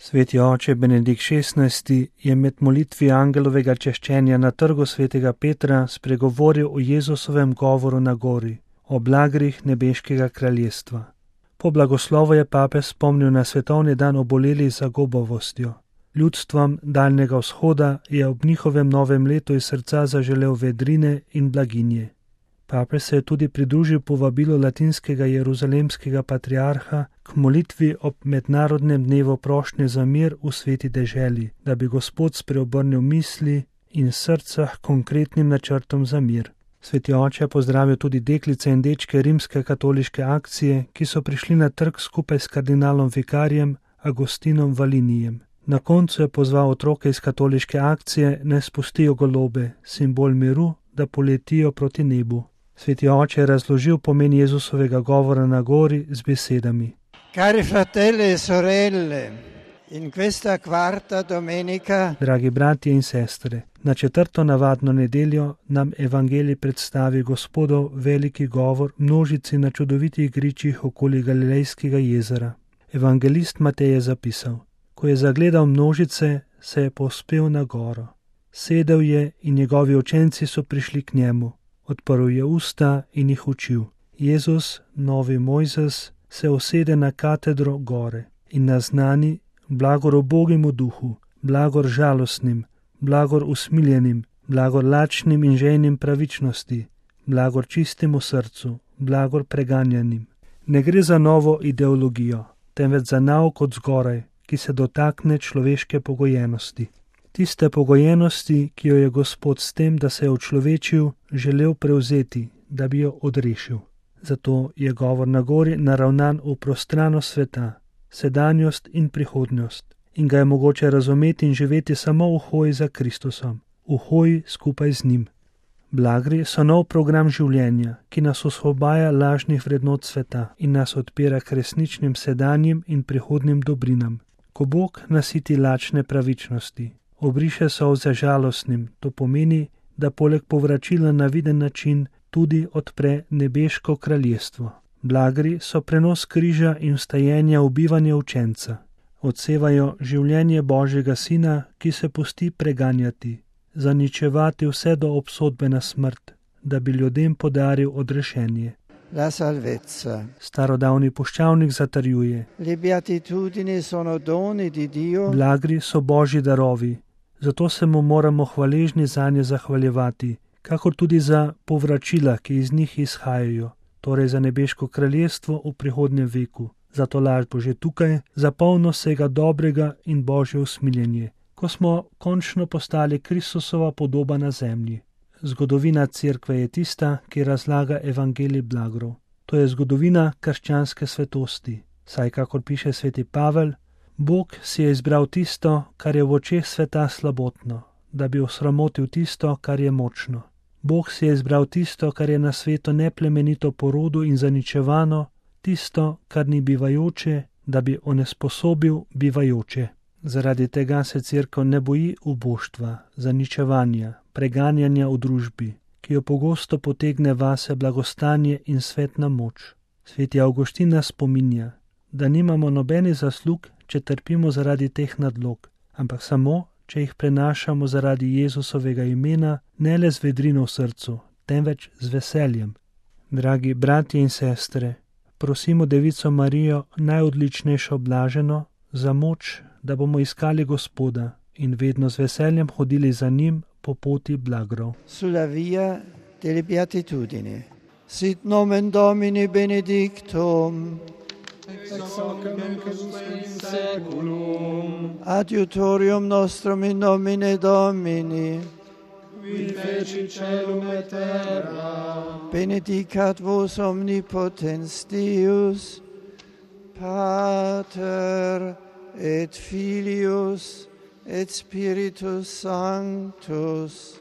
Sveti oče Benedikt XVI je med molitvi angelovega češčenja na trgu svetega Petra spregovoril o Jezusovem govoru na gori, o blagrih nebeškega kraljestva. Po blagoslovu je papež spomnil na svetovni dan obolelih za gobavostjo. Ljudstvom Daljnega vzhoda je ob njihovem novem letu iz srca zaželel vedrine in blaginje. Papež se je tudi pridružil povabilu latinskega jeruzalemskega patriarha k molitvi ob mednarodnem dnevu prošnje za mir v sveti deželi, da bi Gospod spreobrnil misli in srca k konkretnim načrtom za mir. Sveti oče je pozdravil tudi deklice in dečke rimske katoliške akcije, ki so prišli na trg skupaj s kardinalom vikarjem Agostinom Valinijem. Na koncu je pozval otroke iz katoliške akcije, naj spustijo golobe, simbol miru, da poletijo proti nebu. Sveti oče je razložil pomen Jezusovega govora na gori z besedami. Cari fratelli e sorelle, in questa quarta domenica, dragi bratje in sestre, na četrto navadno nedeljo nam evangelij predstavi Gospodov veliki govor množici na čudovitih gričih okoli Galilejskega jezera. Evangelist Matej je zapisal: ko je zagledal množice, se je povzpel na goro. Sedel je in njegovi učenci so prišli k njemu. Odprl je usta in jih učil. Jezus, novi Mojzes, se usede na katedro gore in naznani: blagor ubogemu duhu, blagor žalostnim, blagor usmiljenim, blagor lačnim in žejnim pravičnosti, blagor čistemu srcu, blagor preganjanim. Ne gre za novo ideologijo, temveč za nauk od zgoraj, ki se dotakne človeške pogojenosti. Tiste pogojenosti, ki jo je Gospod s tem, da se je učlovečil, želel prevzeti, da bi jo odrešil. Zato je govor na gori naravnan v prostranost sveta, sedanjost in prihodnost, in ga je mogoče razumeti in živeti samo v hoji za Kristusom, v hoji skupaj z njim. Blagri so nov program življenja, ki nas osvobaja lažnih vrednot sveta in nas odpira k resničnim sedanjim in prihodnim dobrinam. Ko Bog nasiti lačne pravičnosti, obriše solze žalostnim, to pomeni, da poleg povračila na viden način tudi odpre nebeško kraljestvo. Blagri so prenos križa in vstajenja v bivanje učenca. Odsevajo življenje Božjega Sina, ki se pusti preganjati, zaničevati vse do obsodbe na smrt, da bi ljudem podaril odrešenje. la salvezza. Starodavni puščavnik zatrjuje: Le beatitudini sono doni di Dio. Blagri so Božji darovi, zato se mu moramo hvaležni zanje zahvaljevati, kakor tudi za povračila, ki iz njih izhajajo, torej za nebeško kraljestvo v prihodnjem veku, za tolažbo že tukaj, za polno vsega dobrega in Božje usmiljenje, ko smo končno postali Kristusova podoba na zemlji. Zgodovina cerkve je tista, ki razlaga evangelij blagrov. To je zgodovina krščanske svetosti, saj, kakor piše sveti Pavel, Bog si je izbral tisto, kar je v očeh sveta slabotno, da bi osramotil tisto, kar je močno. Bog si je izbral tisto, kar je na svetu neplemenito po rodu in zaničevano, tisto, kar ni bivajoče, da bi onesposobil bivajoče. Zaradi tega se cerkev ne boji uboštva, zaničevanja, preganjanja v družbi, ki jo pogosto potegne vase blagostanje in svetna moč. Sveti Avguštin nas spominja, da nimamo nobene zaslug, če trpimo zaradi teh nadlog, ampak samo, če jih prenašamo zaradi Jezusovega imena, ne le z vedrino v srcu, temveč z veseljem. Dragi bratje in sestre, prosimo Devico Marijo, najodličnejšo blaženo, za moč, da bomo iskali Gospoda in vedno z veseljem hodili za njim po poti blagrov. Sulla via delle beatitudini. Sit nomen Domini benedictum. Ex hoc nunc in saeculum. Adiutorium nostrum in nomine Domini. Qui feci caelum et terra. Benedicat vos omnipotens Deus, Pater et Filius et Spiritus Sanctus.